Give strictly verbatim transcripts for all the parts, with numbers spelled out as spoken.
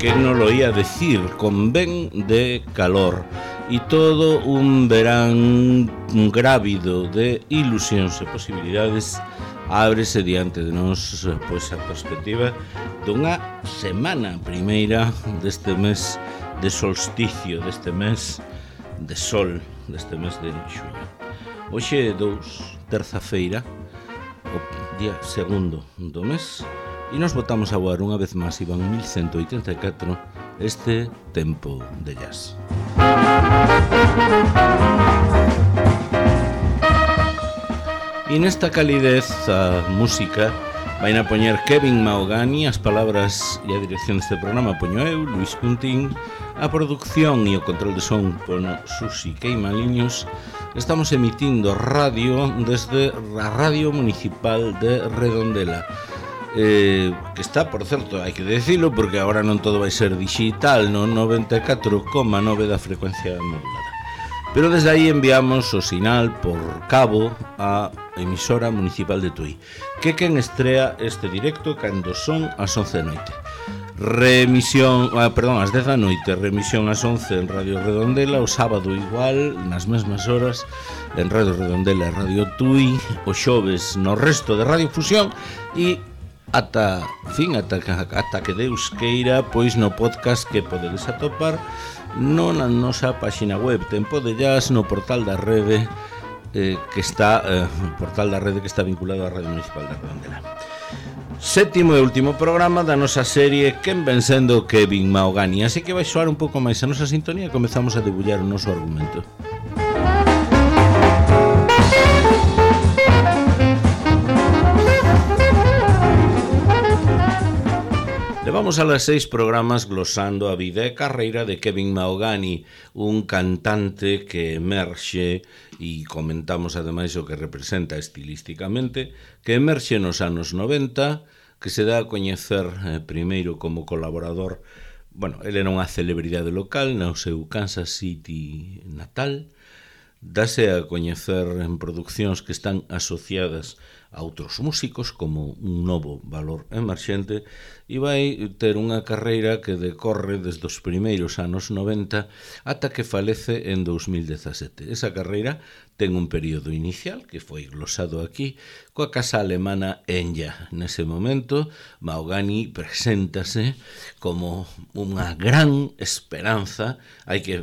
que non lo ia decir, con ben de calor e todo un verán grávido de ilusións e posibilidades ábrese diante de nós, pois, a perspectiva dunha semana primeira deste mes de solsticio, deste mes de sol, deste mes de xuño. Hoxe é dous, terza-feira, o día segundo do mes, e nos botamos a voar unha vez máis, Iván mil ciento oitenta e catro, este tempo de jazz. E nesta calidez a música vai a poñer Kevin Mahogany, as palabras e a dirección deste programa poño eu, Luis Cuntín, a produción e o control de son pono Susi Queimaliños. Estamos emitindo radio desde a Radio Municipal de Redondela, eh, que está, por certo, hai que decilo, porque agora non todo vai ser digital, no noventa e catro coma nove da frecuencia modulada. Pero desde aí enviamos o sinal por cabo á emisora municipal de Tui, que quen estrea este directo cando son as once da noite. Remisión, ah, perdón, ás dez da noite, remisión ás once en Radio Redondela, o sábado igual, nas mesmas horas, en Radio Redondela e Radio Tui, o xoves no resto de Radio Fusión e ata, fin, ata, ata que Deus queira, pois no podcast que podedes atopar non na nosa páxina web Tempo de Jazz, no portal da rede eh, que está eh, portal da rede que está vinculado á Radio Municipal de Redondela. Sétimo e último programa da nosa serie Quen ven sendo Kevin Mahogany, así que vai soar un pouco máis a nosa sintonía e comezamos a debullar o noso argumento. Levamos a las seis programas glosando a vida e carreira de Kevin Mahogany, un cantante que emerxe, e comentamos ademais o que representa estilísticamente, que emerxe nos anos noventa, que se dá a coñecer eh, primeiro como colaborador. Bueno, ele era unha celebridade local no seu Kansas City natal, dáse a coñecer en produccións que están asociadas a outros músicos como un novo valor emerxente e vai ter unha carreira que decorre desde os primeiros anos noventa ata que falece en dos mil dezasete. Esa carreira ten un período inicial que foi glosado aquí coa casa alemana Enya. Nese momento Mahogany preséntase como unha gran esperanza, hai que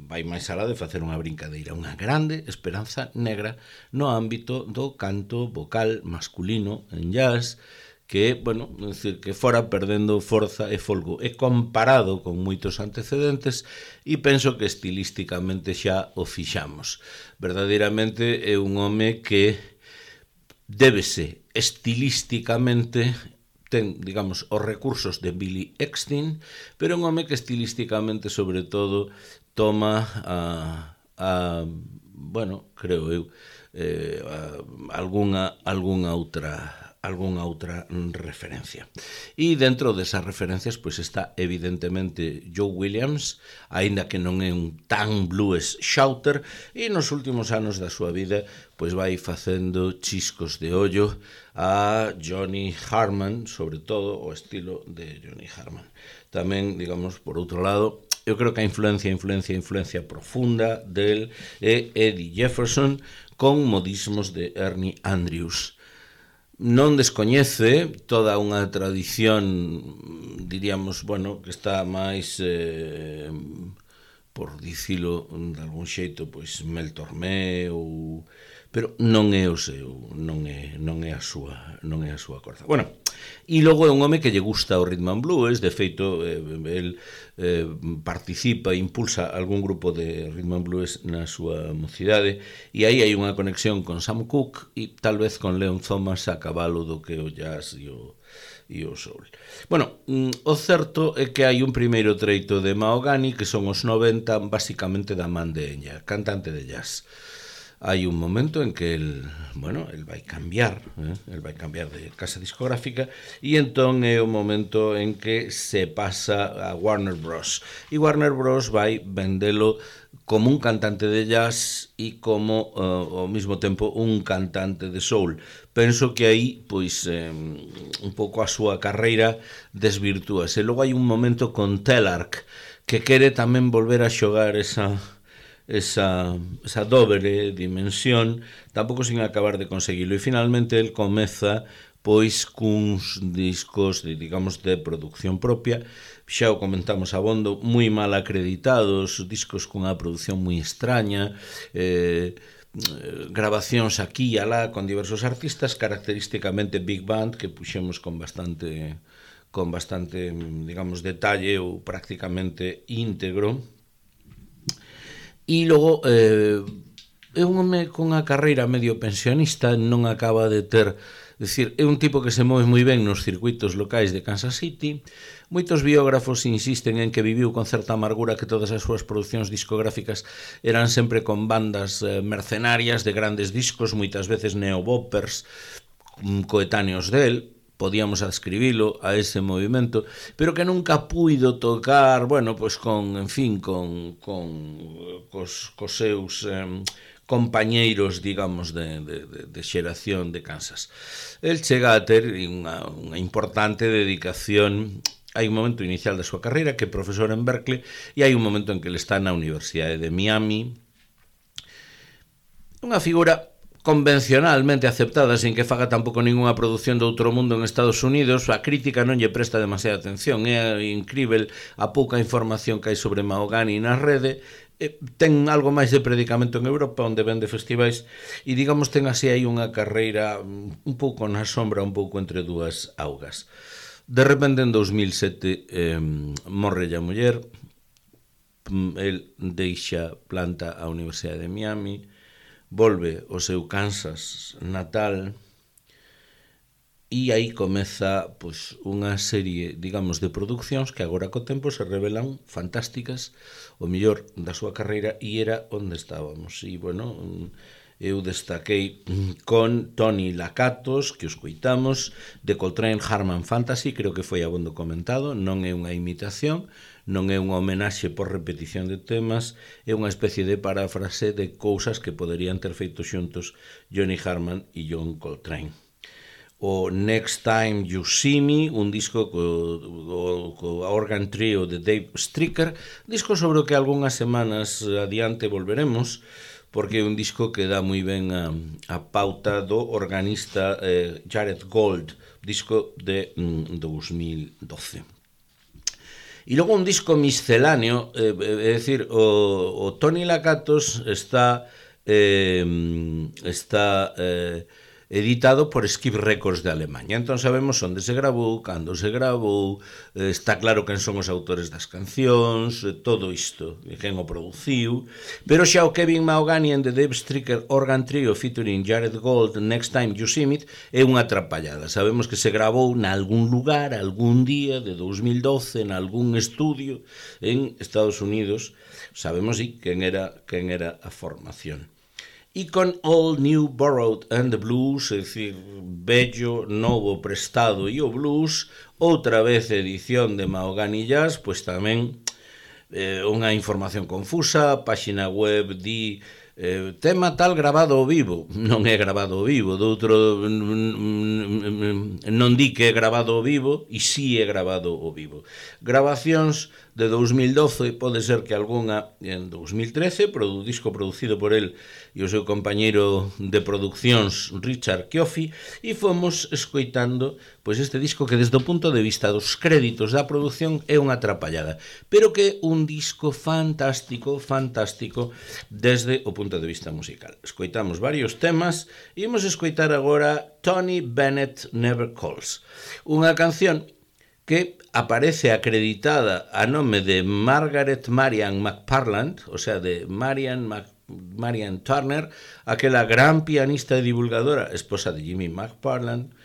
vai máis alá de facer unha brincadeira, unha grande esperanza negra no ámbito do canto vocal masculino en jazz, que, bueno, é dicir, que fora perdendo forza e folgo, e comparado con moitos antecedentes, e penso que estilísticamente xa o fixamos. Verdadeiramente é un home que débese estilísticamente, ten, digamos, os recursos de Billy Eckstine, pero un home que estilísticamente, sobre todo, toma a, a bueno, creo eu, eh, a, algunha, algunha outra algunha outra referencia. E dentro desas referencias pois está evidentemente Joe Williams, aínda que non é un tan blues shouter, e nos últimos anos da súa vida pois vai facendo chiscos de ollo a Johnny Harman, sobre todo o estilo de Johnny Harman. Tamén, digamos, por outro lado, eu creo que a influencia, influencia, influencia profunda del é Eddie Jefferson con modismos de Ernie Andrews. Non descoñece toda unha tradición, diríamos, bueno, que está máis, eh, por dicilo de algún xeito, pois Mel Tormé ou... pero non é o seu, non é, non é a súa, non é a súa corda. Bueno, e logo é un home que lle gusta o rhythm and blues, de feito, eh, el eh, participa e impulsa algún grupo de rhythm and blues na súa mocidade, e aí hai unha conexión con Sam Cooke e tal vez con Leon Thomas a cabalo do que o jazz e o, e o soul. Bueno, o certo é que hai un primeiro treito de Mahogany que son os noventa, basicamente da man de Enya, cantante de jazz. hai un momento en que el, bueno, el vai cambiar, eh? el vai cambiar de casa discográfica e entón é o momento en que se pasa a Warner Bros. E Warner Bros. Vai vendelo como un cantante de jazz e como uh, ao mesmo tempo un cantante de soul. Penso que aí, pois, eh, un pouco a súa carreira desvirtúase. Logo hai un momento con Telarc que quere tamén volver a xogar esa esa, esa doble dimensión, tampouco sin acabar de conseguilo. E finalmente el comeza pois cuns discos de, digamos, de producción propia, xa o comentamos abondo, moi mal acreditados, discos cunha produción moi extraña, eh, grabacións aquí e alá con diversos artistas, característicamente big band, que puxemos con bastante con bastante, digamos, detalle ou prácticamente íntegro. E logo, eh, é un home con a carreira medio pensionista, non acaba de ter... É dicir, é un tipo que se move moi ben nos circuitos locais de Kansas City. Moitos biógrafos insisten en que viviu con certa amargura que todas as súas producións discográficas eran sempre con bandas eh, mercenarias de grandes discos, moitas veces neoboppers coetáneos del. Podíamos adscribilo a ese movimento, pero que nunca puido tocar, bueno, pois con, en fin, con, con cos, cos seus eh, compañeiros, digamos, de, de, de xeración de Kansas. El chega a ter unha, unha importante dedicación. Hai un momento inicial da súa carreira que é profesor en Berkeley e hai un momento en que ele está na Universidade de Miami. Unha figura convencionalmente aceptada, sin que faga tampouco ningunha produción de outro mundo en Estados Unidos. A crítica non lle presta demasiada atención. É incrível a pouca información que hai sobre Mahogany na rede. Ten algo máis de predicamento en Europa, onde vende festivais, e digamos ten así aí unha carreira un pouco na sombra, un pouco entre dúas augas. De repente en dos mil sete eh, morre a muller, el deixa planta a Universidade de Miami, volve ao seu Kansas natal e aí comeza pois, unha serie, digamos, de producións que agora co tempo se revelan fantásticas, o mellor da súa carreira, e era onde estábamos. E, bueno, eu destaquei con Tony Lakatos, que os coitamos, de Coltrane Harman Fantasy, creo que foi abondo comentado, non é unha imitación, non é unha homenaxe por repetición de temas, é unha especie de paráfrase de cousas que poderían ter feito xuntos Johnny Harman e John Coltrane. O Next Time You See Me, un disco co, co organ trio de Dave Stricker, disco sobre o que algunhas semanas adiante volveremos, porque é un disco que dá moi ben a, a pauta do organista eh, Jared Gold, disco de mm, dos mil doce. E logo un disco misceláneo, eh, é dicir, o, o Tony Lakatos está eh, está eh, editado por Skip Records de Alemanha. Entón sabemos onde se gravou, cando se gravou, eh, está claro quen son os autores das cancións, eh, todo isto, quen o produciu, pero xa o Kevin Mahogany and the Dave Stricker Organ Trio featuring Jared Gold, Next Time You See Me, é unha atrapallada. Sabemos que se gravou nalgún lugar, algún día de dos mil doce, en algún estudio en Estados Unidos. Sabemos, sí, quen era, quen era a formación. E con All New Borrowed and the Blues, é dicir, bello, novo, prestado e o blues, outra vez edición de Mahogany Jazz, pois tamén eh, unha información confusa, páxina web di eh, tema tal grabado ao vivo, non é grabado ao vivo, doutro non di que é grabado ao vivo, e si é grabado ao vivo. Grabacións de dos mil doce, pode ser que algunha en dos mil trece, produ, disco producido por el e o seu compañeiro de produccións Richard Chioffi, e fomos escoitando pois este disco que desde o punto de vista dos créditos da produción é unha atrapallada, pero que é un disco fantástico, fantástico desde o punto de vista musical. Escoitamos varios temas e imos escoitar agora Tony Bennett Never Calls, unha canción que aparece acreditada a nome de Margaret Marian McParland, o sea, de Marian, Mac, Marian Turner, aquela gran pianista e divulgadora, esposa de Jimmy McParland.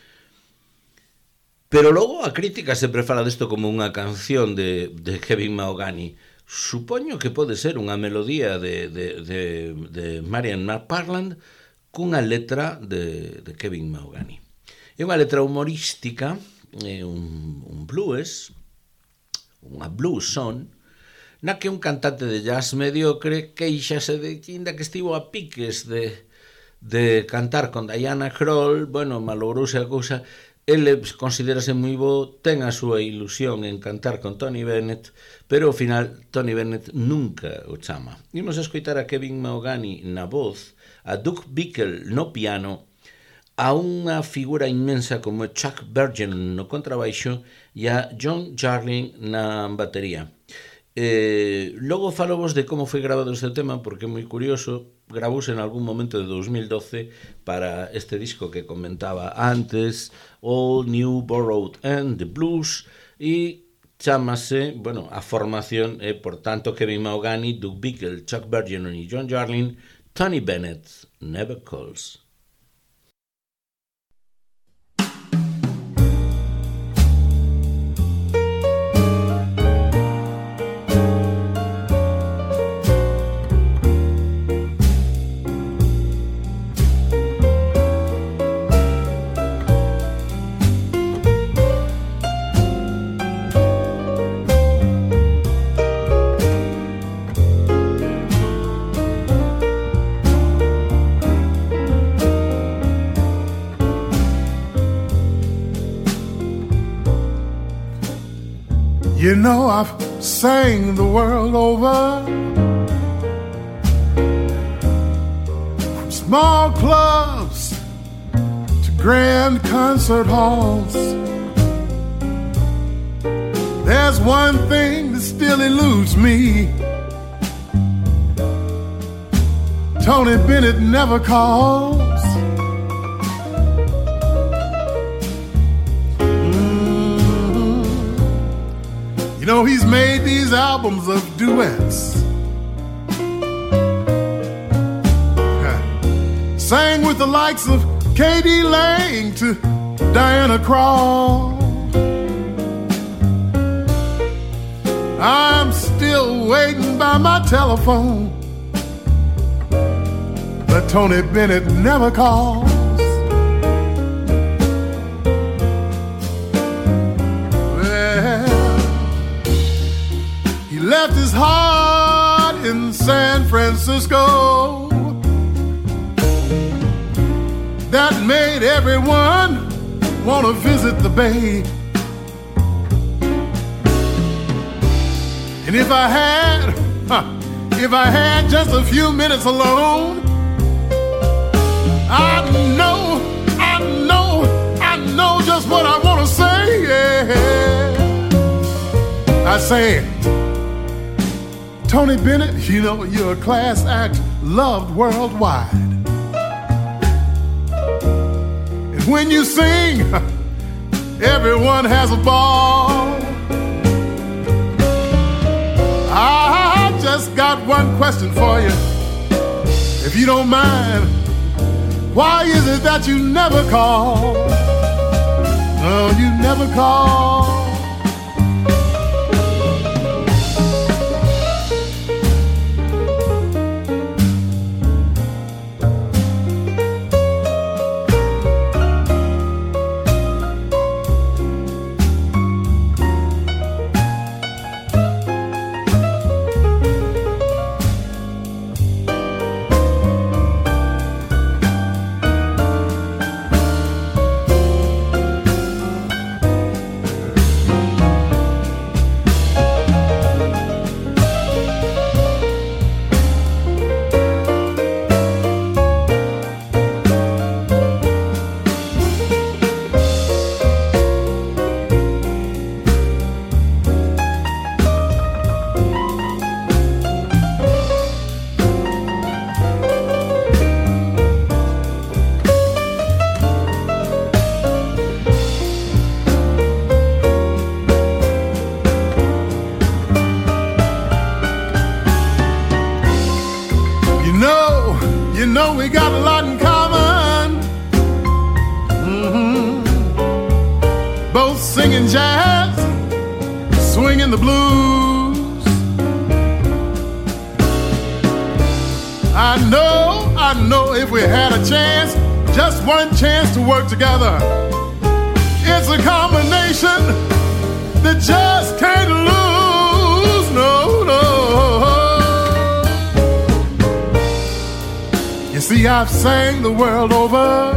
Pero logo a crítica sempre fala desto como unha canción de, de Kevin Mahogany. supoño que pode ser unha melodía de, de, de, de Marian McParland cunha letra de, de Kevin Mahogany. É unha letra humorística, é un, un blues, unha blues song, na que un cantante de jazz mediocre queixase de que ainda que estivo a piques de, de cantar con Diana Krall, bueno, malogrouse a cousa. Ele considerase moi bo, ten a súa ilusión en cantar con Tony Bennett, pero ao final Tony Bennett nunca o chama. Imos a escoitar a Kevin Mahogany na voz, a Doug Bickle no piano, a unha figura inmensa como Chuck Bergen no contrabaixo e a John Jarlin na batería. Eh, logo falo vos de como foi grabado este tema, porque é moi curioso. Gravouse en algún momento de dos mil doce para este disco que comentaba antes, All New Borrowed and the Blues, e chámase, bueno, a formación é, por tanto, Kevin Mahogany, Doug Bickle, Chuck Bergeron e John Jarlin, Tony Bennett, Never Calls. You know I've sang the world over, from small clubs to grand concert halls. There's one thing that still eludes me. Tony Bennett never calls. You know, he's made these albums of duets. Sang with the likes of K D Lang to Diana Krall. I'm still waiting by my telephone, but Tony Bennett never calls. Left his heart in San Francisco. That made everyone want to visit the Bay. And if I had, huh, if I had just a few minutes alone, I know, I know, I know just what I want to say. Yeah. I say, Tony Bennett, you know, you're a class act loved worldwide. And when you sing, everyone has a ball. I just got one question for you, if you don't mind. Why is it that you never call? No, you never call. know we got a lot in common. Mm-hmm. Both singing jazz, swinging the blues. if we had a chance, just one chance to work together. It's a combination that just can't lose, no, no. You see, I've sang the world over,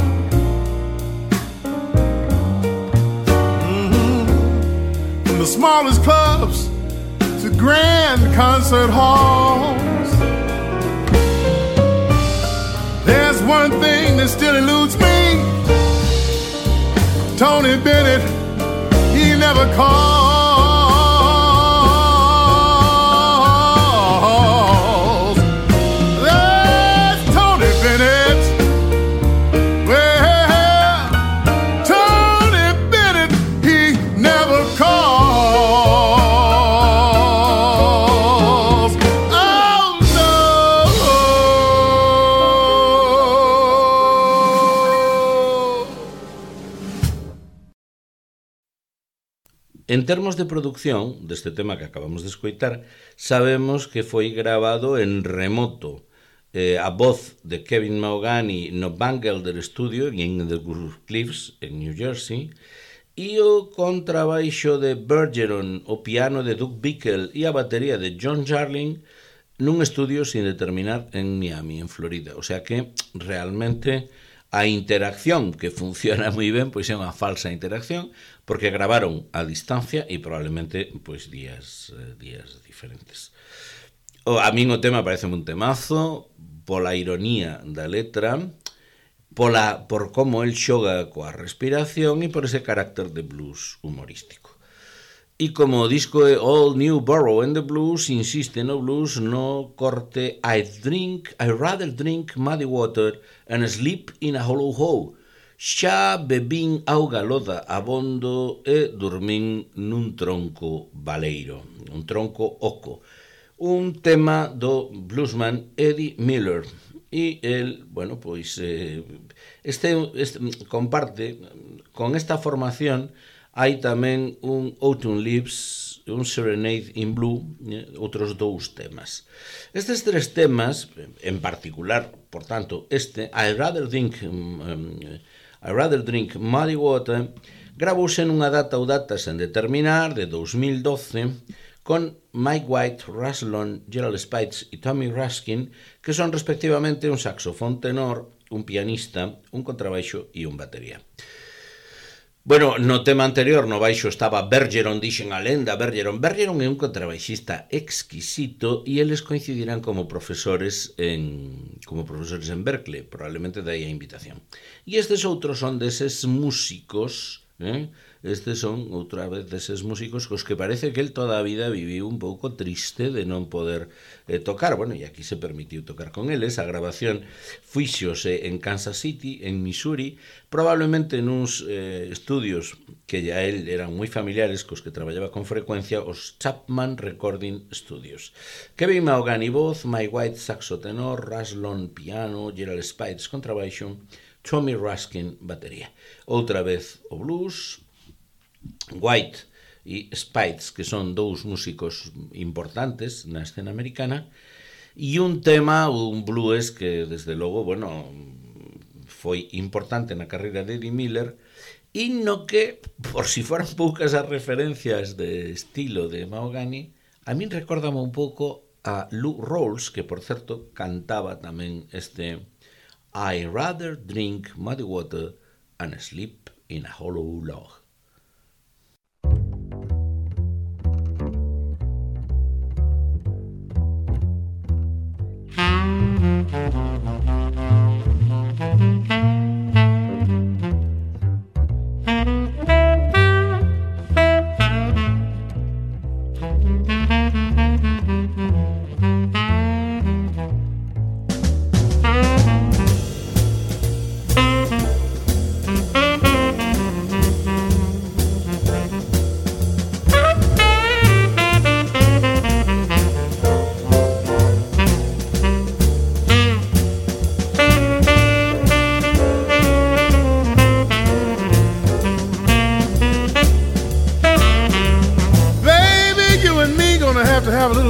mm-hmm, from the smallest clubs to grand concert halls. There's one thing that still eludes me. Tony Bennett, he never calls. That's Tony Bennett. Well, Tony Bennett, he never calls. Oh, no. En termos de produción deste tema que acabamos de escoitar, sabemos que foi grabado en remoto. Eh, a voz de Kevin Mahogany no Van Gelder Studio en The Cliffs, en New Jersey, e o contrabaixo de Bergeron, o piano de Doug Bickel e a batería de John Jarling nun estudio sin determinar en Miami, en Florida. O sea que realmente a interacción, que funciona moi ben, pois é unha falsa interacción, porque gravaron a distancia e probablemente pois días eh, días diferentes. O, a min o tema parece un temazo pola ironía da letra, pola por como el xoga coa respiración e por ese carácter de blues humorístico. E como o disco é All New Borough in the Blues, insiste no blues no corte I drink, I rather drink muddy water and sleep in a hollow hole. Xa bebín auga loda abondo e dormín nun tronco baleiro, un tronco oco. Un tema do bluesman Eddie Miller. E el, bueno, pois eh, este, este comparte con esta formación. Hai tamén un Autumn Leaves, un Serenade in Blue, eh, outros dous temas. Estes tres temas, en particular, por tanto, este, I rather drink, um, I rather drink muddy water, gravouse nunha data ou datas en determinar, de dos mil doce, con Mike White, Russ Long, Gerald Spites e Tommy Raskin, que son respectivamente un saxofón tenor, un pianista, un contrabaixo e un batería. Bueno, no tema anterior, no baixo, estaba Bergeron, dixen a lenda, Bergeron. Bergeron é un contrabaixista exquisito e eles coincidirán como profesores en como profesores en Berkeley, probablemente dai a invitación. E estes outros son deses músicos, eh? Estes son outra vez deses músicos cos que parece que el toda a vida viviu un pouco triste de non poder eh, tocar. Bueno, e aquí se permitiu tocar con eles. A grabación fíxose en Kansas City, en Missouri, probablemente nuns eh, estudios que ya él eran moi familiares, cos que traballaba con frecuencia, os Chapman Recording Studios. Kevin Mahogany voz, Mike White saxo tenor, Russ Long piano, Gerald Spites contrabaixo, Tommy Raskin batería. Outra vez o blues, White e Spites, que son dous músicos importantes na escena americana, e un tema, un blues que desde logo, bueno, foi importante na carreira de Eddie Miller, e no que, por si foran poucas as referencias de estilo de Mahogany, a min recórdame un pouco a Lou Rawls, que por certo cantaba tamén este I rather drink muddy water and sleep in a hollow log.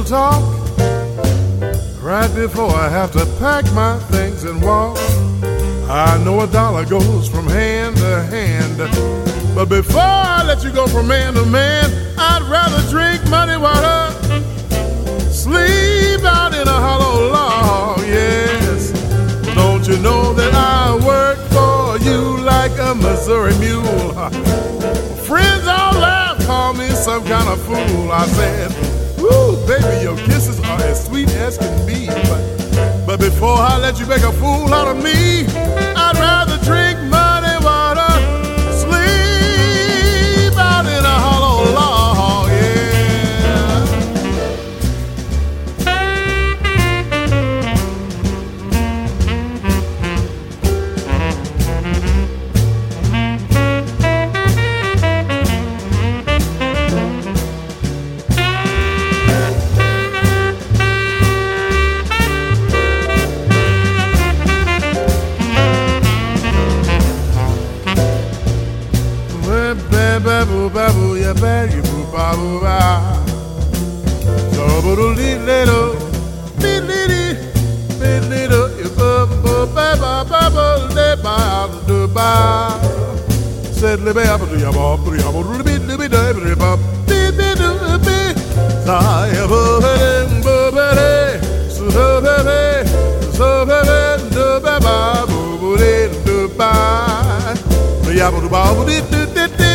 Talk right before I have to pack my things and walk. I know a dollar goes from hand to hand, but before I let you go from man to man, I'd rather drink muddy water, sleep out in a hollow log, yes. Don't you know that I work for you like a Missouri mule? Friends all laugh, call me some kind of fool. I said, woo, baby, your kisses are as sweet as can be, but But before I let you make a fool out of me, I'd rather drink muddy water, sleep out in a hollow log, yeah. Babu babu ya babu babu ba. So buru li little, li li li little. You babu babu babu le ba do ba. Said le ba babu ya babu ya babu li li li li ba. Bi bi do bi. Sa ya babu babu le. So babu so babu do ba babu le do ba. Ya babu babu di di di di.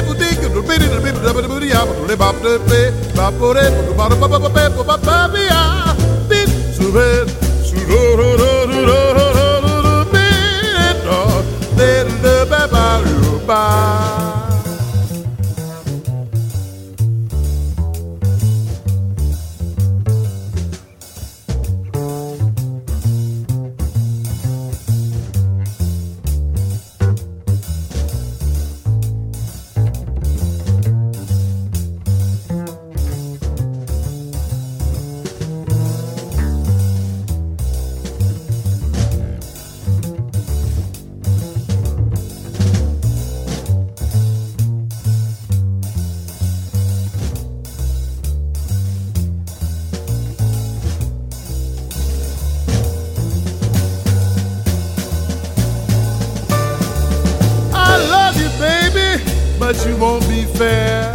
But you won't be fair.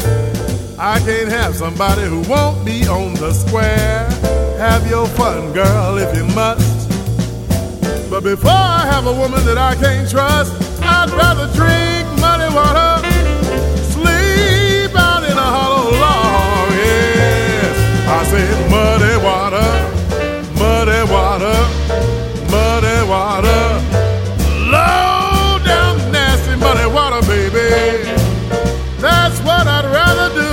I can't have somebody who won't be on the square. Have your fun, girl, if you must. But before I have a woman that I can't trust, I'd rather drink muddy water, sleep out in a hollow log, yes. I said muddy water, muddy water, muddy water, low down nasty muddy water, baby. That's what I'd rather do.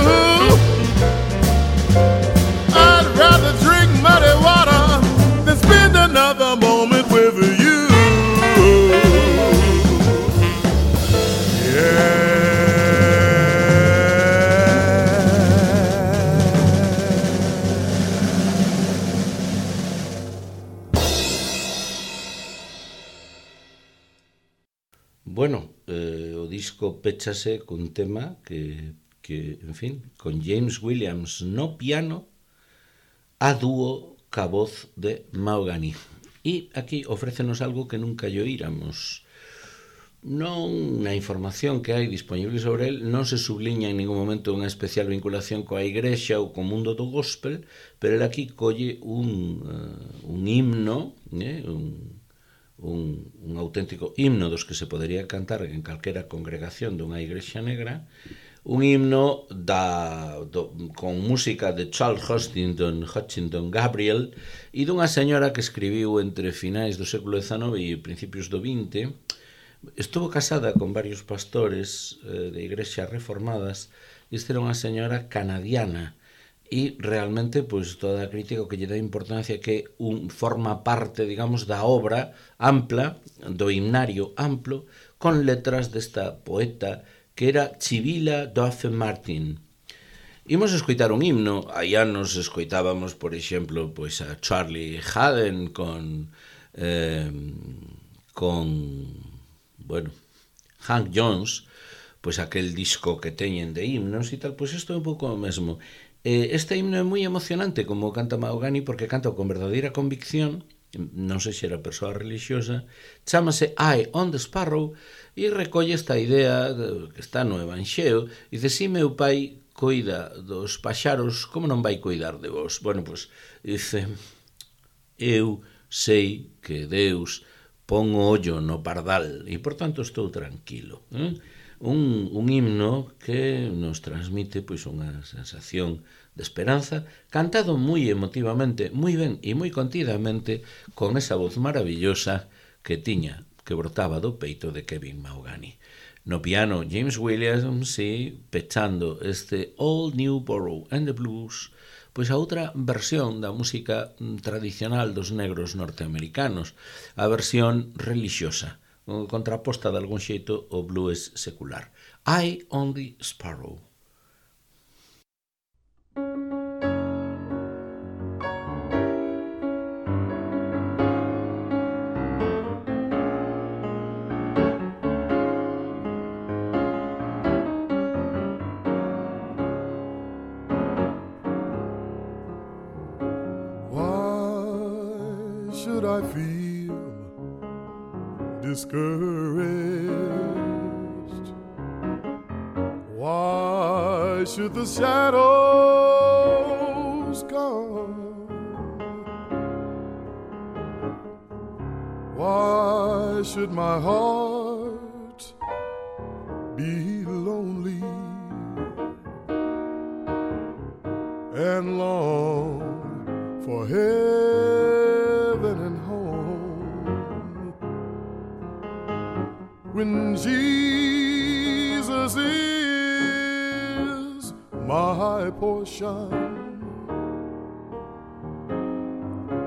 I'd rather drink muddy water than spend another moment with you. Yeah. Bueno, eh, o disco péchase cun tema que, que, en fin, con James Williams no piano a dúo ca voz de Mahogany. E aquí ofrécenos algo que nunca lle oíramos. Non na información que hai disponible sobre el non se subliña en ningún momento unha especial vinculación coa igrexa ou co mundo do gospel, pero el aquí colle un, uh, un himno, eh, un Un, un auténtico himno dos que se podería cantar en calquera congregación dunha igrexa negra, un himno da, do, con música de Charles Hutchinson, Hutchinson Gabriel e dunha señora que escribiu entre finais do século dezanove e principios do vinte. Estuvo casada con varios pastores eh, de igrexas reformadas e esta era unha señora canadiana. E realmente, pois, toda a crítica que lle dá importancia que un forma parte, digamos, da obra ampla, do himnario amplo, con letras desta poeta que era Chivila Duff Martin. Imos escoitar un himno. Hai anos escoitábamos, por exemplo, pois a Charlie Haden con eh, con bueno, Hank Jones, pois aquel disco que teñen de himnos e tal, pois isto é un pouco o mesmo. Este himno é moi emocionante como canta Mahogany porque canta con verdadeira convicción non sei se era persoa religiosa, chámase Eye on the Sparrow e recolle esta idea que está no Evanxeo, e dice, si meu pai coida dos paxaros, como non vai coidar de vos? Bueno, pois, dice, eu sei que Deus pon o ollo no pardal e, por tanto, estou tranquilo. Eh? Un, un himno que nos transmite pois unha sensación de esperanza, cantado moi emotivamente, moi ben e moi contidamente, con esa voz maravillosa que tiña, que brotaba do peito de Kevin Mahogany. No piano, James Williams, sí, pechando este Old New Borough and the Blues, pois a outra versión da música tradicional dos negros norteamericanos, a versión religiosa, contraposta de algún xeito ao blues secular. Eye on the Sparrow. Why should I feel discouraged? Why should the shadows come? Why should my heart be lonely and long for heaven and home, when Jesus is my portion,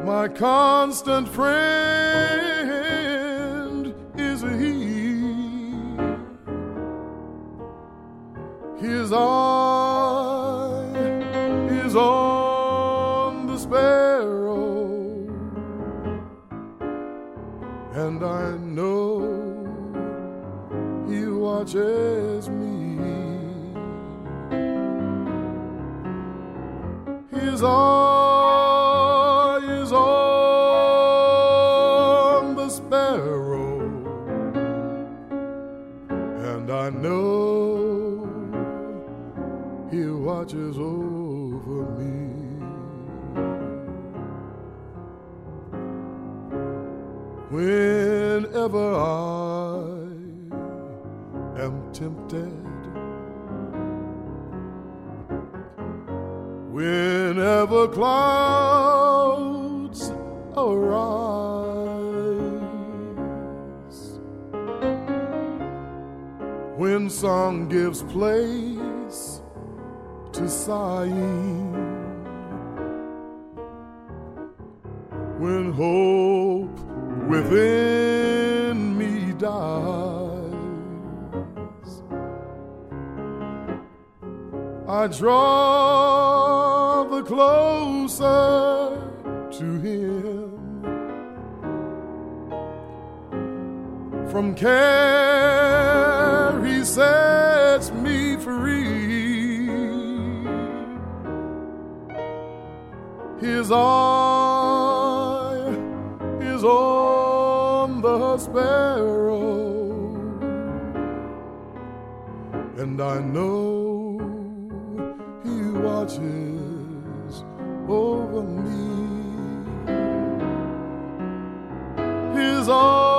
my constant friend is He. His eye is on the sparrow, and I know He watches me. His eye is on the sparrow, and I know He watches over me. Whenever I am tempted, whenever clouds arise, when song gives place to sighing, when hope within me dies, I draw the closer to Him. From care He sets me free. His eye is on the sparrow, and I know He watches over me. His eye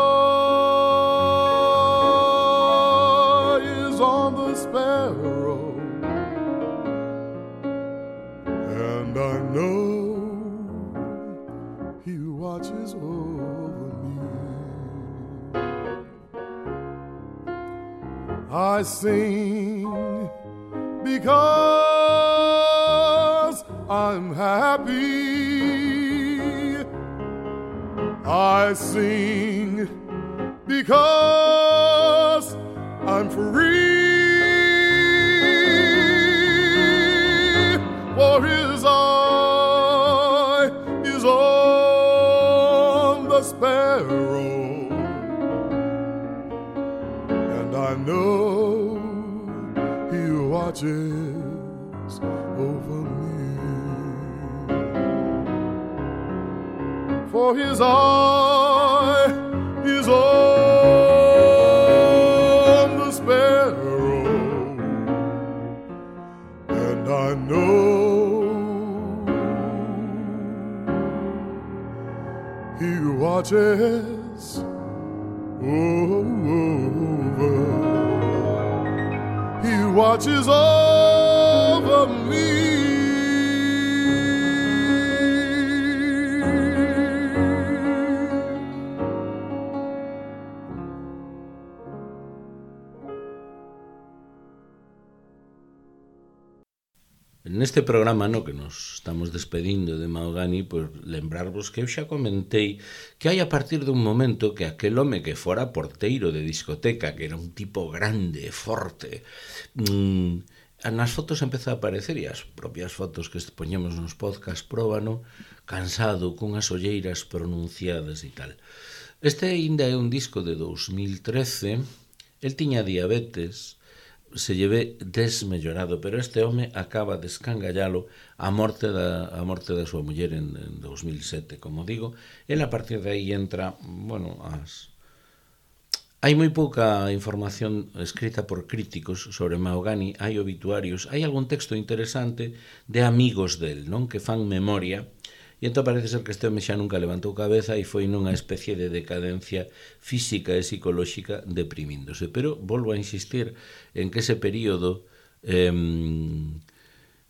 is on the sparrow, and I know He watches over me. I sing because I'm happy. I sing because I'm free. For His eye is on the sparrow, and I know He watches over me. for his eye is on the sparrow, and I know he watches over, he watches over me. Neste programa no que nos estamos despedindo de Mahogany, pois lembrarvos que eu xa comentei que hai a partir dun momento que aquel home que fora porteiro de discoteca, que era un tipo grande, forte, mmm, nas fotos empeza a aparecer, e as propias fotos que poñemos nos podcast próbano, cansado, cunhas olleiras pronunciadas e tal. Este ainda é un disco de dous mil trece, el tiña diabetes, se lleve desmellorado, pero este home acaba de escangallalo a morte da, a morte da súa muller en, en dous mil sete, como digo. El a partir de aí entra, bueno, as... hai moi pouca información escrita por críticos sobre Mahogany, hai obituarios, hai algún texto interesante de amigos del, non, que fan memoria. E entón parece ser que este home xa nunca levantou cabeza e foi nunha especie de decadencia física e psicolóxica deprimíndose. Pero volvo a insistir en que ese período, eh,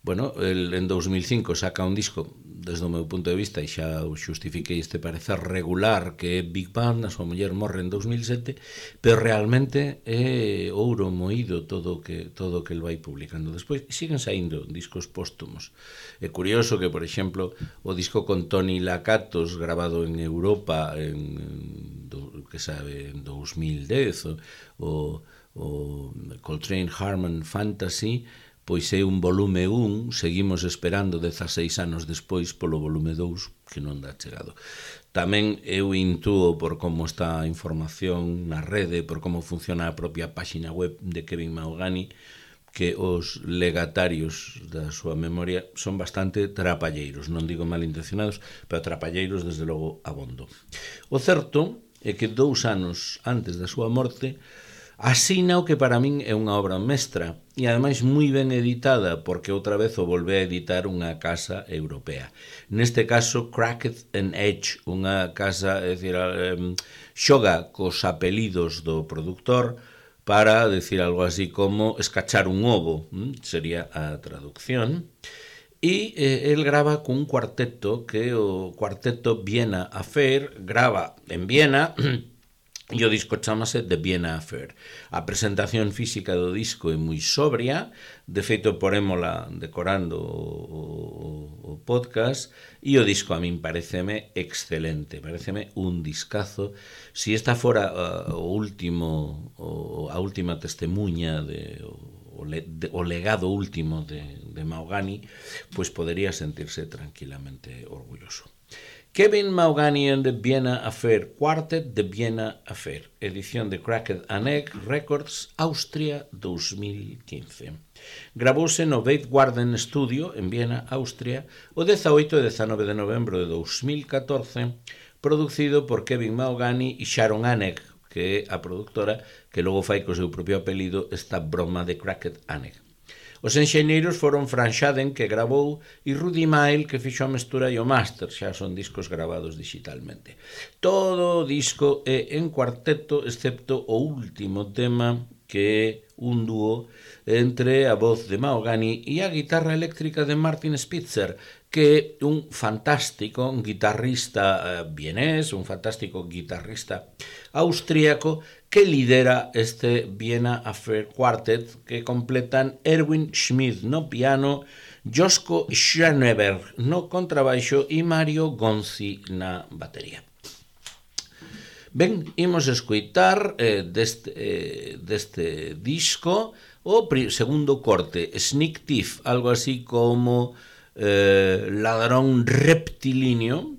bueno, el, en dous mil cinco saca un disco, desde o meu punto de vista, e xa o xustifiquei este parecer regular, que é Big Band, a súa muller morre en dous mil sete, pero realmente é ouro moído todo o que, todo o que el vai publicando. Despois siguen saindo discos póstumos. É curioso que, por exemplo, o disco con Tony Lakatos, grabado en Europa en, do, que sabe, en dous mil dez, o, o Coltrane Harmon Fantasy, pois é un volume un, seguimos esperando dezaseis anos despois polo volume dous, que non dá chegado. Tamén eu intúo por como está a información na rede, por como funciona a propia páxina web de Kevin Mahogany, que os legatarios da súa memoria son bastante trapalleiros, non digo malintencionados, pero trapalleiros desde logo abondo. O certo é que dous anos antes da súa morte asina o que para min é unha obra mestra e ademais moi ben editada, porque outra vez o volve a editar unha casa europea. Neste caso Cracked and Edge, unha casa, é dicir, eh, xoga cos apelidos do produtor para decir algo así como escachar un ovo, hm? Sería a traducción. E eh, el grava cun cuarteto, que o cuarteto Vienna Affair, grava en Viena, e o disco chamase The Vienna Affair. A presentación física do disco é moi sobria, de feito porémola decorando o, o, o podcast, e o disco a min pareceme excelente, pareceme un discazo. Si esta fora uh, o último, o, a última testemunha de, o, de, o legado último de, de Mahogany, pois podería sentirse tranquilamente orgulloso. Kevin Mahogany and the Vienna Affair Quartet, The Vienna Affair, edición de Cracked and Egg Records, Austria, dous mil quince. Gravouse no Beit Garden Studio, en Viena, Austria, o dezaoito e dezanove de novembro de dous mil catorce, producido por Kevin Mahogany e Sharon Anegg, que é a productora que logo fai co seu propio apelido esta broma de Cracked and Egg. Os enxeñeiros foron Fran Schaden, que gravou, e Rudy Mael, que fixo a mestura e o máster, xa son discos gravados digitalmente. Todo o disco é en cuarteto, excepto o último tema, que é un dúo entre a voz de Mahogany e a guitarra eléctrica de Martin Spitzer, que é un fantástico guitarrista vienés, un fantástico guitarrista austríaco, que lidera este Vienna Affair Quartet, que completan Erwin Schmidt no piano, Josko Schöneberg no contrabaixo e Mario Gonzi na batería. Ben, imos escoitar eh, deste, eh, deste disco o segundo corte, Sneak Thief, algo así como eh, ladrón reptilíneo,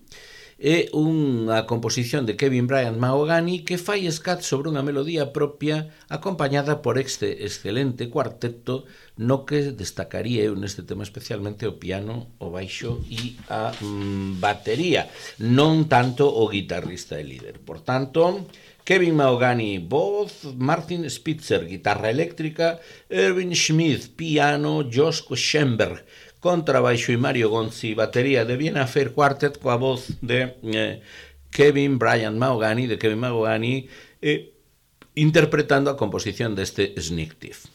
é unha composición de Kevin Bryant Mahogany que fai scat sobre unha melodía propia acompañada por este excelente cuarteto no que destacaría eu neste tema especialmente o piano, o baixo e a mm, batería, non tanto o guitarrista e líder. Por tanto, Kevin Mahogany, voz, Martin Spitzer, guitarra eléctrica, Erwin Schmidt, piano, Josko Schoenberg, contrabaixo e Mario Gonzi, batería de Vienna Fair Quartet coa voz de eh, Kevin Bryant Mahogany, de Kevin Mahogany, eh, interpretando a composición deste Sneak Thief.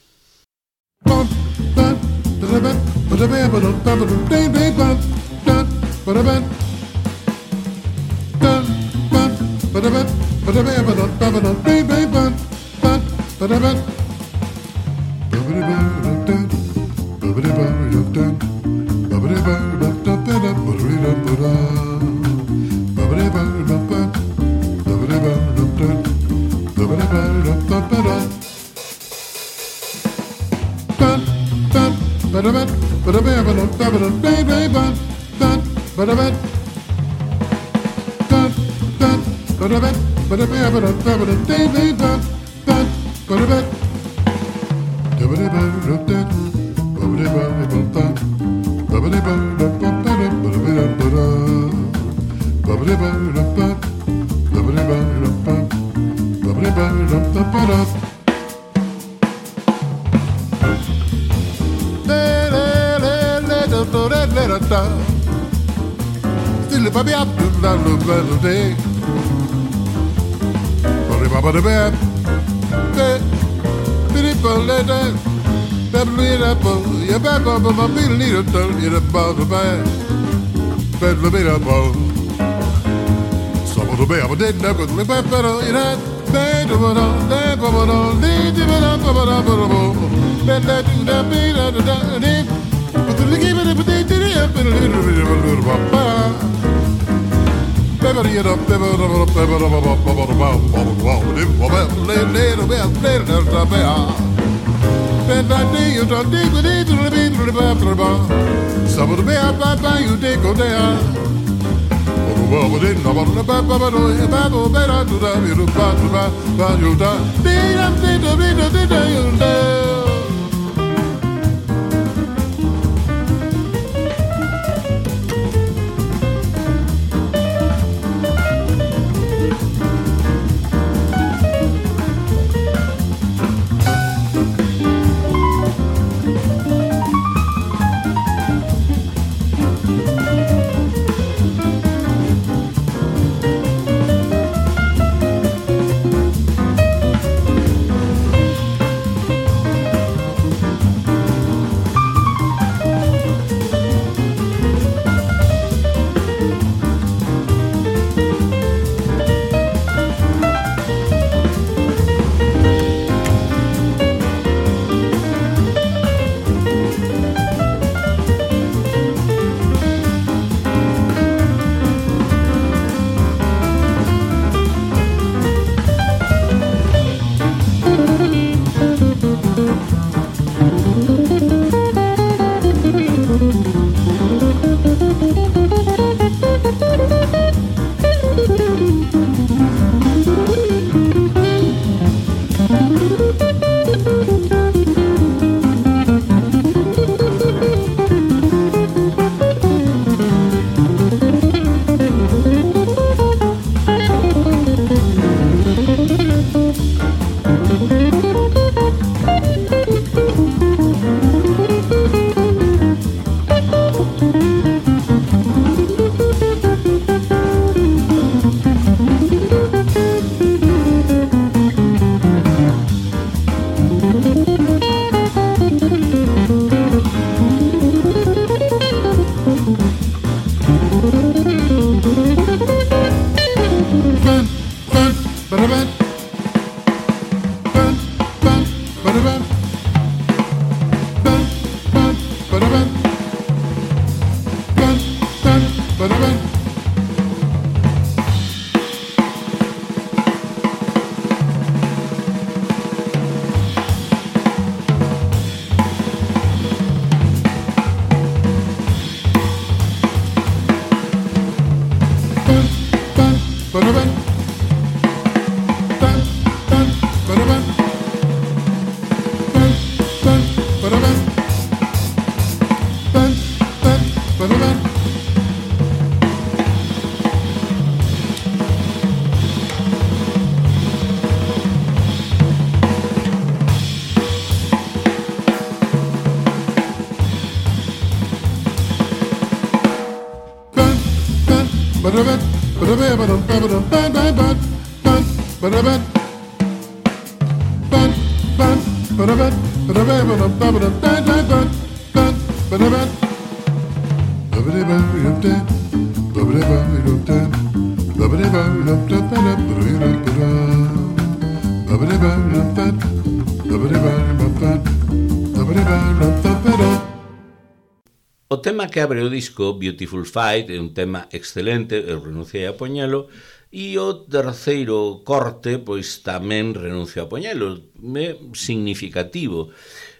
O tema que abre o disco, Beautiful Fight, é un tema excelente, eu renunciei a poñelo, e o terceiro corte, pois tamén renuncio a poñelo, é significativo,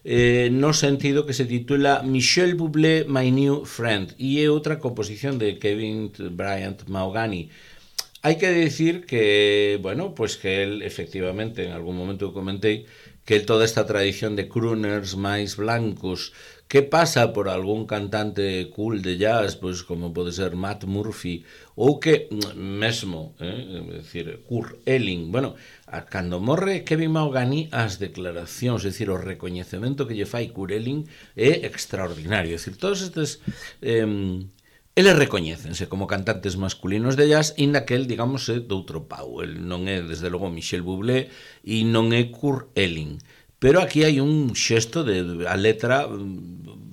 eh, no sentido que se titula Michel Bublé, My New Friend, e é outra composición de Kevin Bryant Mahogany. Hai que decir que, bueno, pois que el, efectivamente, en algún momento comentei, que toda esta tradición de crooners máis blancos que pasa por algún cantante cool de jazz, pois como pode ser Matt Murphy, ou que mesmo, eh, é dicir, Kurt Elling, bueno, a, cando morre Kevin Mahogany, as declaracións, é dicir, o recoñecemento que lle fai Kurt Elling é extraordinario, é dicir, todos estes eh, eles recoñécense como cantantes masculinos de jazz, inda que el, digamos, é doutro pau, el non é, desde logo, Michel Bublé e non é Kurt Elling. Pero aquí hai un xesto de a letra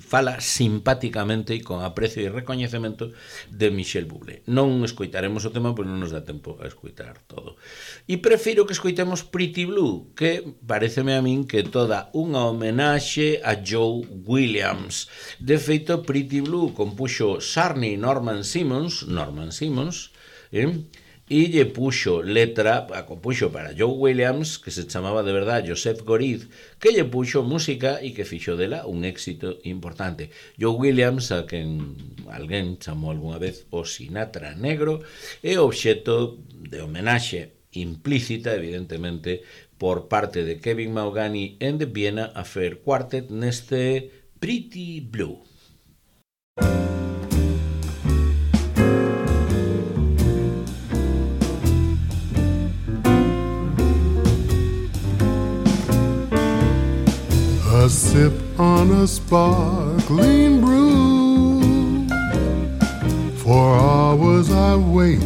fala simpáticamente e con aprecio e recoñecemento de Michel Bublé. Non escoitaremos o tema, pois non nos dá tempo a escoitar todo. E prefiro que escoitemos Pretty Blue, que pareceme a min que toda unha homenaxe a Joe Williams. De feito, Pretty Blue compuxo Sarney Norman Simmons, Norman Simmons, eh? e lle puxo letra, a compuxo para Joe Williams, que se chamaba de verdad Joseph Goriz, que lle puxo música e que fixo dela un éxito importante. Joe Williams, a quen alguén chamou algunha vez o Sinatra negro, é obxeto de homenaxe implícita, evidentemente, por parte de Kevin Mahogany and the Vienna Affair Quartet neste Pretty Blue. A sip on a sparkling brew. For hours I wait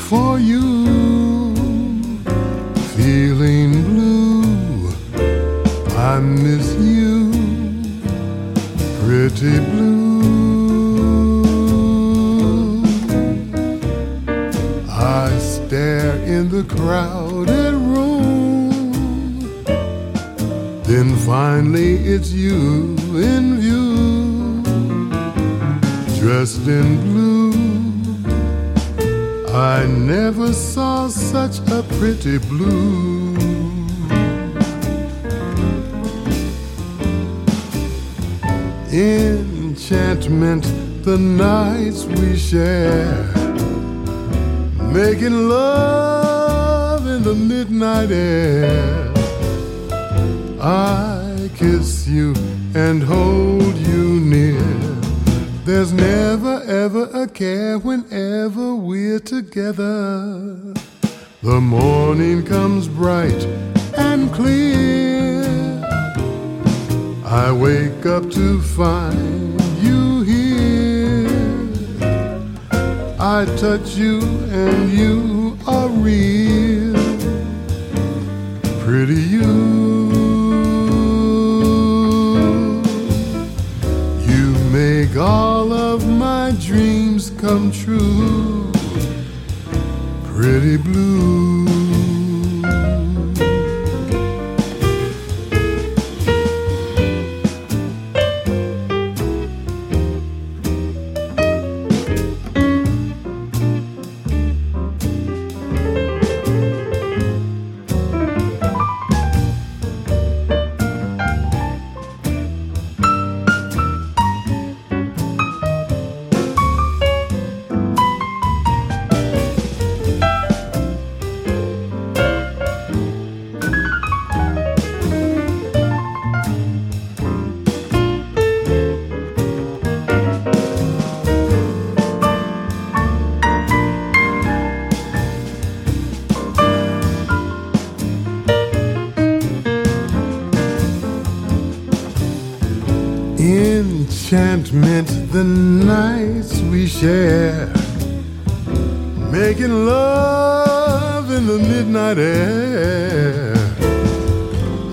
for you. Feeling blue, I miss you. Pretty blue. I stare in the crowded room. Then finally it's you in view, dressed in blue. I never saw such a pretty blue. Enchantment, the nights we share, making love in the midnight air. I kiss you and hold you near. There's never ever a care whenever we're together. The morning comes bright and clear. I wake up to find you here. I touch you and you are real. Pretty you. Make all of my dreams come true. Pretty blue. enchantment, the nights we share, making love in the midnight air.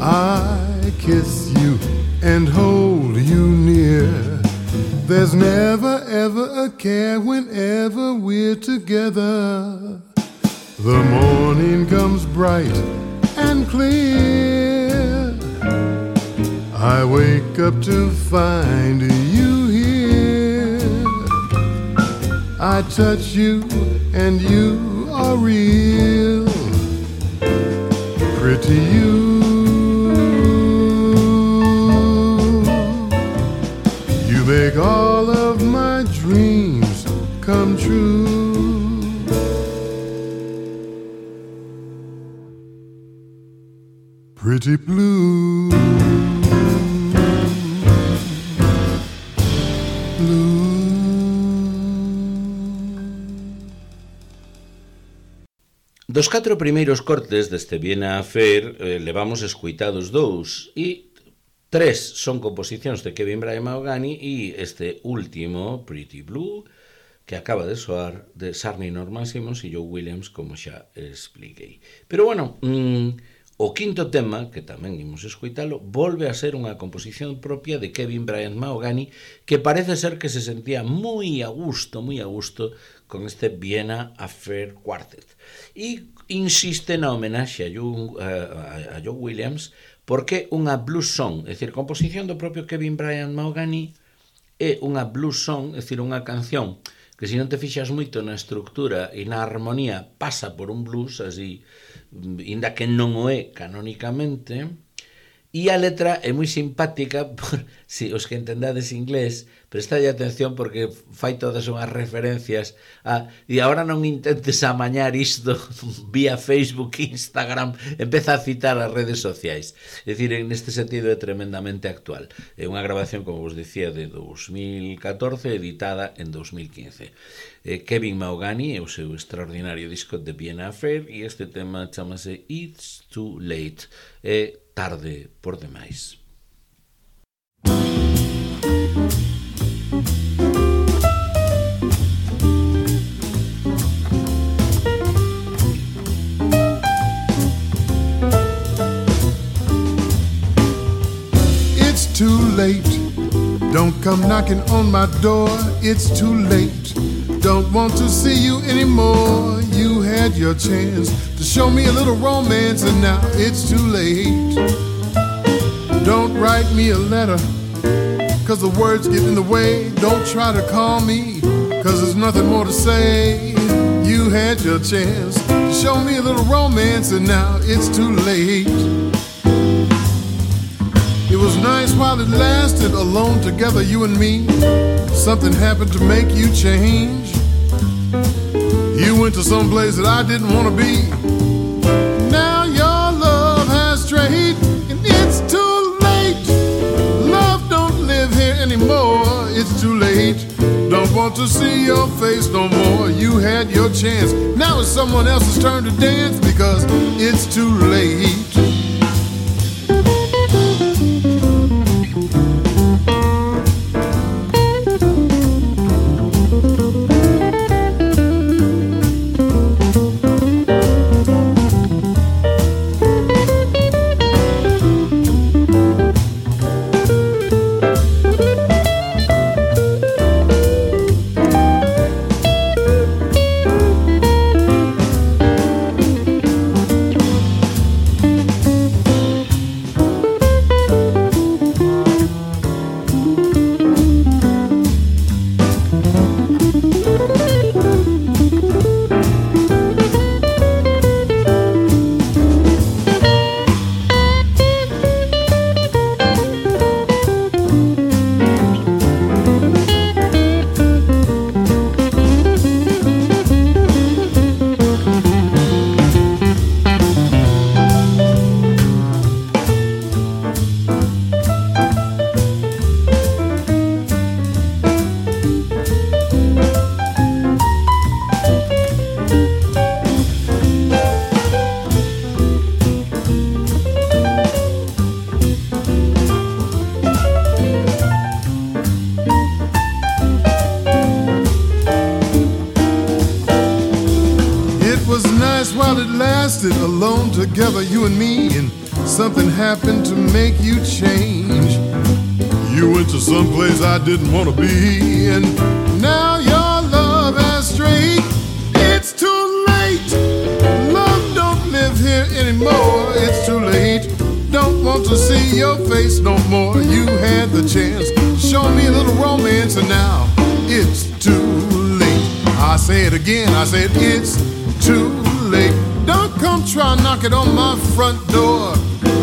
I kiss you and hold you near. There's never ever a care whenever we're together. The morning comes bright and clear. I wake up to find you here. I touch you and you are real. Pretty you. You make all of my dreams come true. Pretty blue, blue. Dos catro primeiros cortes deste Viena Affair eh, levamos escuitados dous e tres son composicións de Kevin Bryant Mahogany e este último, Pretty Blue, que acaba de soar de Sarney Norman Simmons e Joe Williams, como xa expliquei. Pero bueno, mmm, o quinto tema, que tamén imos escoitalo, volve a ser unha composición propia de Kevin Bryant Mahogany, que parece ser que se sentía moi a gusto, moi a gusto con este Viena Affair Quartet. E insiste na homenaxe a Joe, a, a Joe Williams, porque unha blues song, é dicir, composición do propio Kevin Bryant Mahogany, é unha blues song, é dicir, unha canción que se non te fixas moito na estructura e na armonía pasa por un blues, así, inda que non o é canónicamente, e a letra é moi simpática, por, si os que entendades inglés, prestade atención porque fai todas unhas referencias a, e agora non intentes amañar isto vía Facebook, Instagram, empeza a citar as redes sociais. É dicir, en este sentido é tremendamente actual. É unha grabación, como vos dicía, de dos mil catorce, editada en dos mil quince. Eh, Kevin Mahogany é o seu extraordinario disco de Viena Affair e este tema chamase It's Too Late. É tarde por demais. It's too late. Don't come knocking on my door. It's too late. Don't want to see you anymore. You had your chance to show me a little romance, and now it's too late. Don't write me a letter, cause the words get in the way. Don't try to call me, cause there's nothing more to say. You had your chance to show me a little romance, and now it's too late. It was nice while it lasted, alone together, you and me. Something happened to make you change. You went to some place that I didn't want to be. Now your love has strayed, and it's too late. Love don't live here anymore. It's too late. Don't want to see your face no more. You had your chance. Now it's someone else's turn to dance, because it's too late. was nice while it lasted, alone together, you and me, and something happened to make you change. You went to some place I didn't want to be, and now your love has strayed. It's too late. Love don't live here anymore. It's too late. Don't want to see your face no more. You had the chance, show me a little romance, and now it's too late. I say it again, I said it's too late. Don't come try knocking on my front door.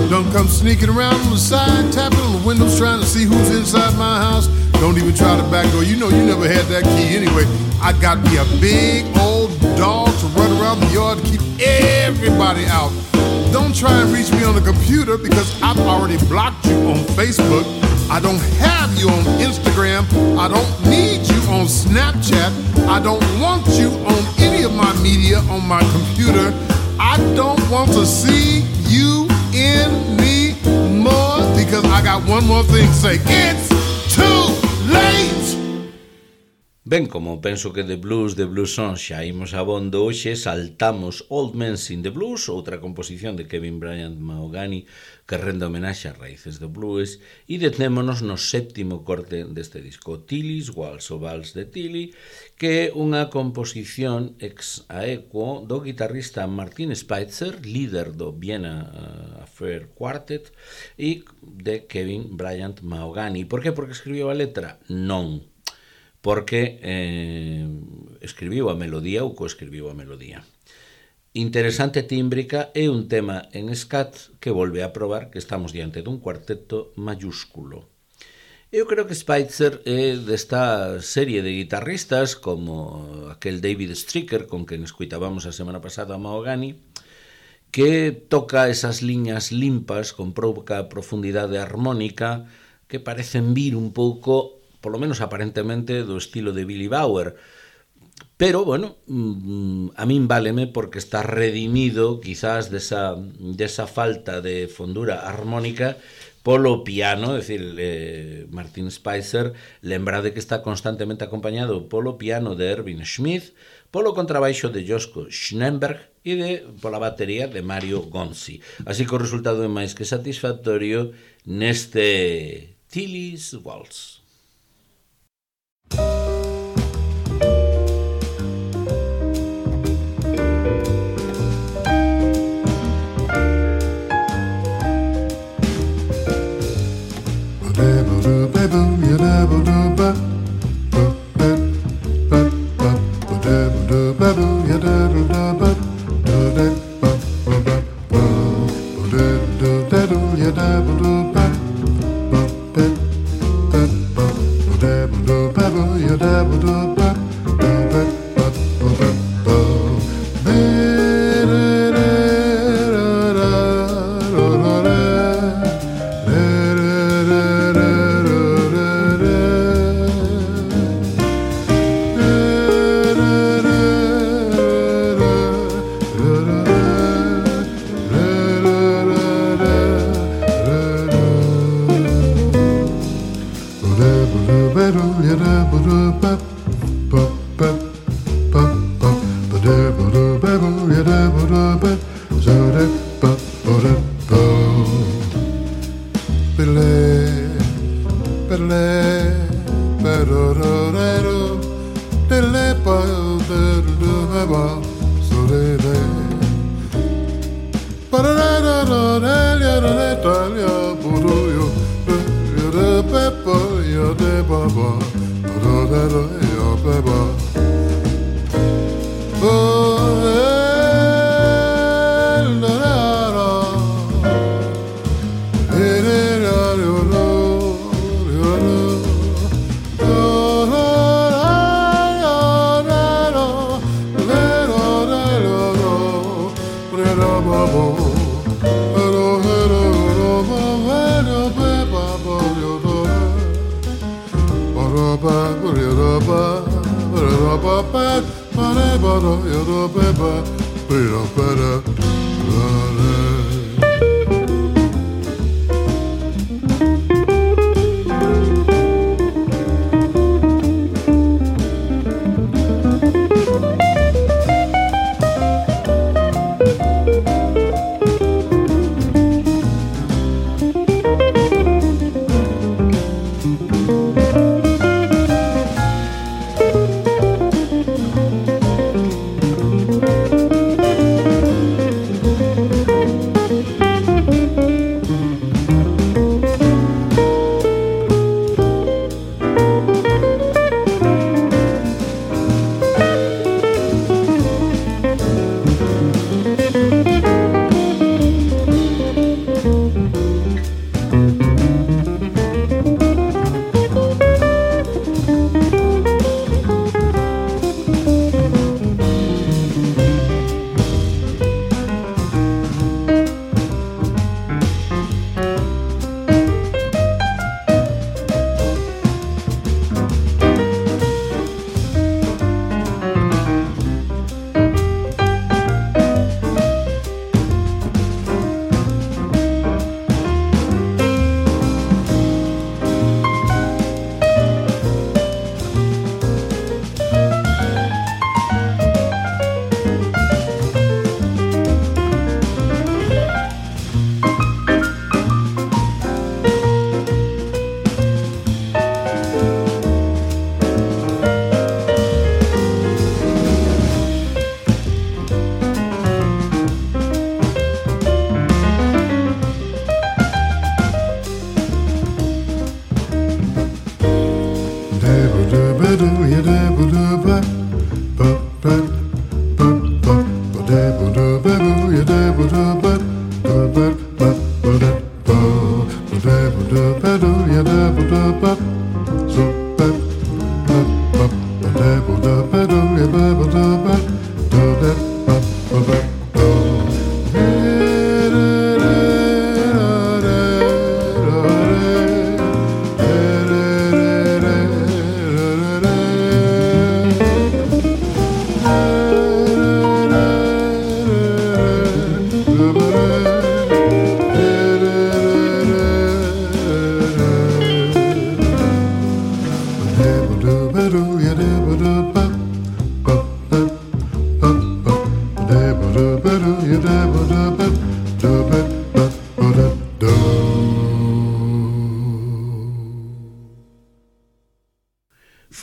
Don't come sneaking around on the side, tapping on the windows, trying to see who's inside my house. Don't even try the back door. You know you never had that key anyway. I got me a big old dog to run around the yard to keep everybody out. Don't try and reach me on the computer because I've already blocked you on Facebook. I don't have you on Instagram. I don't need you on Snapchat. I don't want you on any of my media on my computer. I don't want to see you in me more because I got one more thing to say. It's too late. Ben, como penso que de blues, de blues songs xa imos abondo, hoxe saltamos Old Men Sing the Blues, outra composición de Kevin Bryant Mahogany que rende homenaxe ás raíces do blues, e detémonos no séptimo corte deste disco, Tilly's Waltz, o Vals de Tilly, que é unha composición ex aequo do guitarrista Martin Spitzer, líder do Vienna uh, Affair Quartet, e de Kevin Bryant Mahogany. Por que? Porque escribiu a letra? Non. Porque eh, escribiu a melodía ou coescribiu a melodía. Interesante tímbrica é un tema en scat que volve a probar que estamos diante dun cuarteto mayúsculo. Eu creo que Spitzer é desta serie de guitarristas como aquel David Stryker con quen escuitábamos a semana pasada a Mahogany, que toca esas liñas limpas con pouca profundidade armónica que parecen vir un pouco, polo menos aparentemente, do estilo de Billy Bauer. Pero, bueno, a min váleme porque está redimido quizás desa, desa falta de fondura armónica polo piano, é dicir, eh, Martin Spitzer, lembrade que está constantemente acompañado polo piano de Erwin Schmidt, polo contrabaixo de Josko Schnenberg e de, pola batería de Mario Gonzi. Así que o resultado é máis que satisfactorio neste Tilly's Waltz.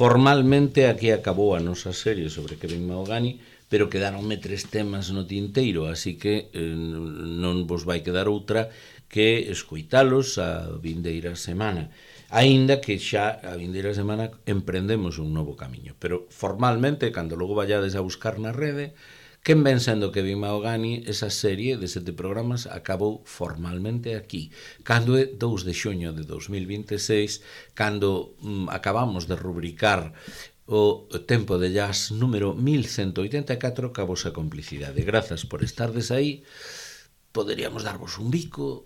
Formalmente aquí acabou a nosa serie sobre Kevin Mahogany, pero quedaronme tres temas no tinteiro, así que eh, non vos vai quedar outra que escoitalos a vindeira semana. Aínda que xa a vindeira semana emprendemos un novo camiño, pero formalmente, cando logo vallades a buscar na rede, quen ven sendo Kevin Mahogany, esa serie de sete programas acabou formalmente aquí, cando é dous de xuño de dos mil vinte e seis, cando mm, acabamos de rubricar o Tempo de Jazz número mil ciento oitenta e catro ca vosa complicidade. Grazas por estardes aí. Poderíamos darvos un bico,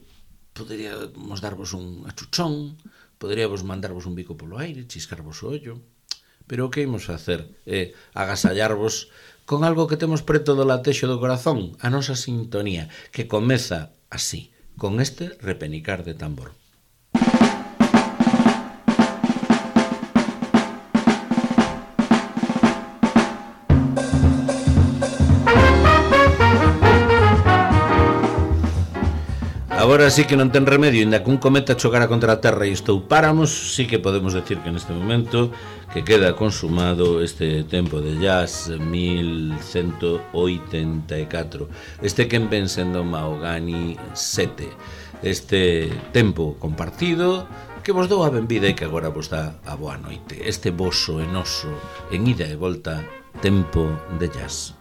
poderíamos darvos un achuchón, poderíamos mandarvos un bico polo aire, chiscarvos o ollo, pero o que imos facer é agasallarvos con algo que temos preto do latexo do corazón, a nosa sintonía, que comeza así, con este repenicar de tambor. Agora sí que non ten remedio, inda que un cometa chocara contra a Terra e estoupáramos, sí que podemos decir que neste momento que queda consumado este Tempo de Jazz mil ciento oitenta e catro. Este quen ven sendo Mahogany sete. Este tempo compartido que vos dou a benvida e que agora vos dá a boa noite. Este voso enoso en ida e volta Tempo de Jazz.